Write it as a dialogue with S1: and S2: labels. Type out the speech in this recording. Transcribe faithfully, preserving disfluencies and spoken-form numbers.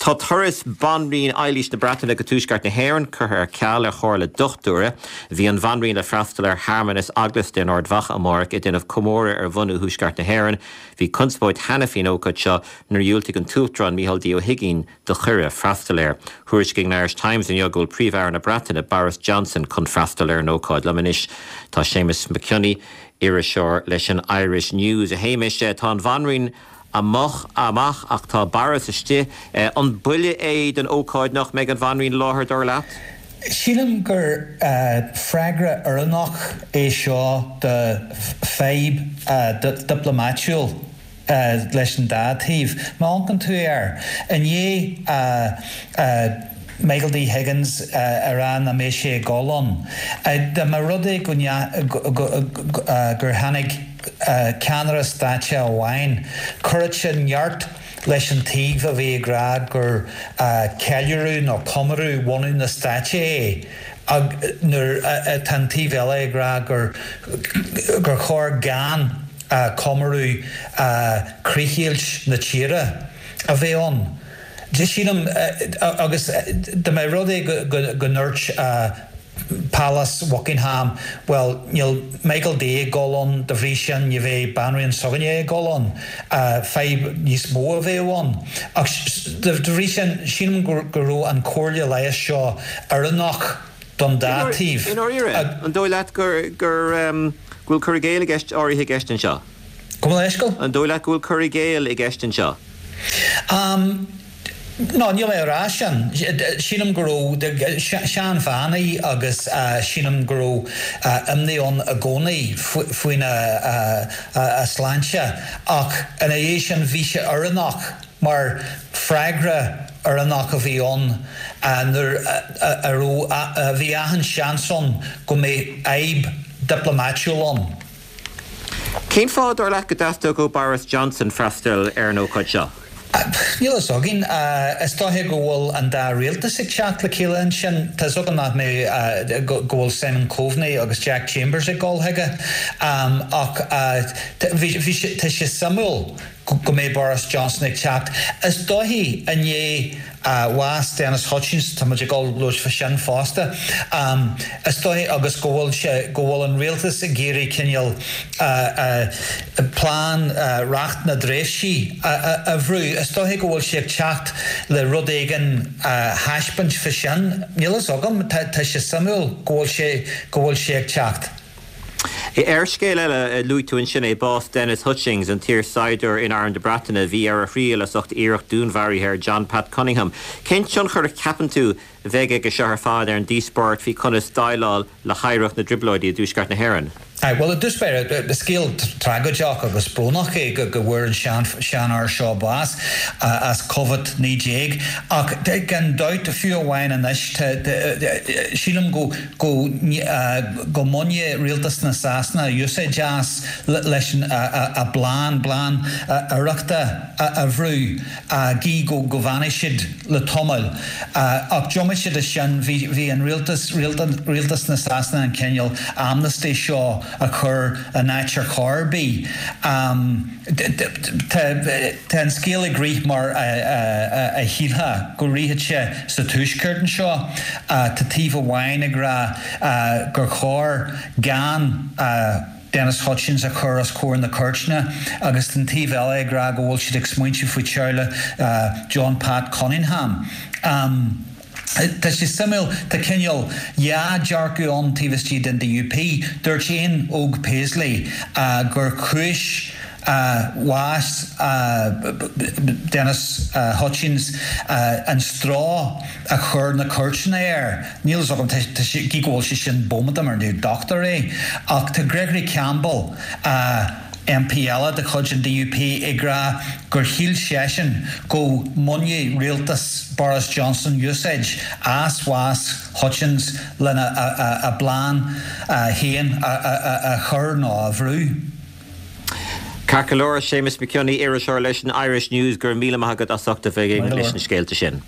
S1: Tá turas Banríon Eilís na Breataine go tuaisceart na hÉireann curtha ar ceal ar chomhairle dochtúra. Bhí an bhanríon le freastal ar shearmanas eaglasta in Ard Mhacha amárach ag déanamh comóradh ar bhunú thuaisceart na hÉireann. Bhí conspóid cheana faoin ócáid seo nuair a dhiúltaigh an tUachtarán Micheál D. Ó hUigínn do chuireadh freastal air. Thuairiscigh an Irish Times inniu go bhfuil Príomh-Aire na Breataine Boris Johnson chun freastal ar an ócáid. Liom anois tá Séamus Mac Cionnaith iriseoir leis an Irish News a Shéamais tá an bhanríon amach amach ach tá Boris istigh an buille é den ócáid nach mbeidh an bhanríon láthair dar leat?
S2: Sílim gur freagra oiriúnach é seo do fadhb dioplómaitiúil leis an dá taobh. Má amharcann tú air i ndiaidh Michael D. Higgins a rá nach mbeidh sé ag dul ann. Dá mba rud é gur tháinig ceannaire stáit amháin, chuirfeadh sé neart leis an taobh a bhí ag rá gur ceiliúradh nó comóradh bhunú na stáit é nuair atá an taobh eile ag rá gur gur chóir gan comóradh críochdheighilt na tíre a bheith ann. Sílim agus dá mba rud é go ndúirt Palace Buckingham, well níl Michael D ag dul ann de bhrí sin ní bheidh banríon s'againne ag dul ann fadhb níos mó a bheadh ann. Ach de bhrí sin sílim go raibh an chomhairle leighis seo oiriúnach don dá taobh.
S1: An dóigh leat gur gur bhfuil cur i gcéill i gceist áirithe i gceist anseo?
S2: Go bhfuil eisceal?
S1: An dóigh leat go bhfuil cur i gcéill i gceist anseo?
S2: Um, No, níl mé rá sin. Sílim go raibh seanbhean í agus sílim go raibh imní ann i gcónaí faoina a sláinte ach ina dhiaidh sin bhí sé oiriúnach mar freagra oiriúnach a bhí ann nuair a raibh bhí achan seans ann go mbeidh fadhb dioplómaitiúil ann.
S1: Cén fáth dar leat go dteastódh ó Boris Johnson freastal ar an ócáid seo?
S2: Níl a fhios againn is dóiche go bhfuil an dá rialtas ag teacht le chéile ansin Tá agam nach mé go bhfuil Simon Coveney agus Jack Chambers ag dul chuige ach tá sé suimiúil go mbeidh Boris Johnson ag teacht. Is dóiche i ndiaidh bhás Denis Hutchings tá muid ag dul labhairt faoi sin fosta. Is dóiche agus go bhfuil sé go bhfuil an rialtas ag iarraidh cineál plean reacht na dtréimhsí a bhrú. Is dóiche go bhfuil sé ag teacht le rud éigin thaispeáint faoi sin. Níl a fhios agam tá sé suimiúil go bhfuil sé go bhfuil sé ag teacht.
S1: Ar scéal eile luaigh tú ansin é bás Denis Hutchings an t-iarsaighdiúir in Arm na Breataine bhí ar a thriail as ucht iarracht dúnmharaithe ar John Pat Cunningham. Cén tionchar a cheapann tú a bheidh aige seo ar fad ar an díospóireacht faoi conas déileáil le hoidhreacht na dTrioblóidí i dTuaisceart na hÉireann.
S2: Well i dtús báire scéal tragóideach agus brónach é go go bhfuair an sean seanfhear seo bás as Covid naoi déag ach gan dabht fiú amháin anois sílim go go go mbainfidh rialtas na Sasana úsáid as leis an a bplean plean oidhreachta a bhrú gí go go bhfanfaidh siad le tamall ach diomaite de sin bhí bhí an rialtas rialtas na Sasana an cineál amnesty seo a chur in áit ar chor ar bith. Tá an scéal ag rith mar a shílfeá go rithfeadh sé sa tuaisceart anseo. Tá taobh amháin ag rá gur chóir gan Denis Hutchings a chur os comhair na cúirte agus an taobh eile ag rá go bhfuil siad ag smaointiú faoi teaghlach John Pat Cunningham. Um, Tá sé suimiúil tá cineál dhá dhearcadh ann taobh istigh den DUP, dúirt Ian Óg Paisley uh, gur chúis uh, bhás uh, Denis uh, Hutchings uh, an stró a chur na cúirteanna air. Níl agam gí go bhfuil sé sin bómada mar ní dochtúir é, ach tá Gregory Campbell uh, MP eile de chuid an DUP ag rá gur shíl seisean go mbainfeadh rialtas Boris Johnson úsáid as bhás Hutchins lena a, a, a bplean féin a, a, a chur nó a bhrú.
S1: Ceart go leor Séamus Mac Cionnaith iriseoir leis an Irish News gur míle maith agat as ucht a bheith leis na scéalta sin.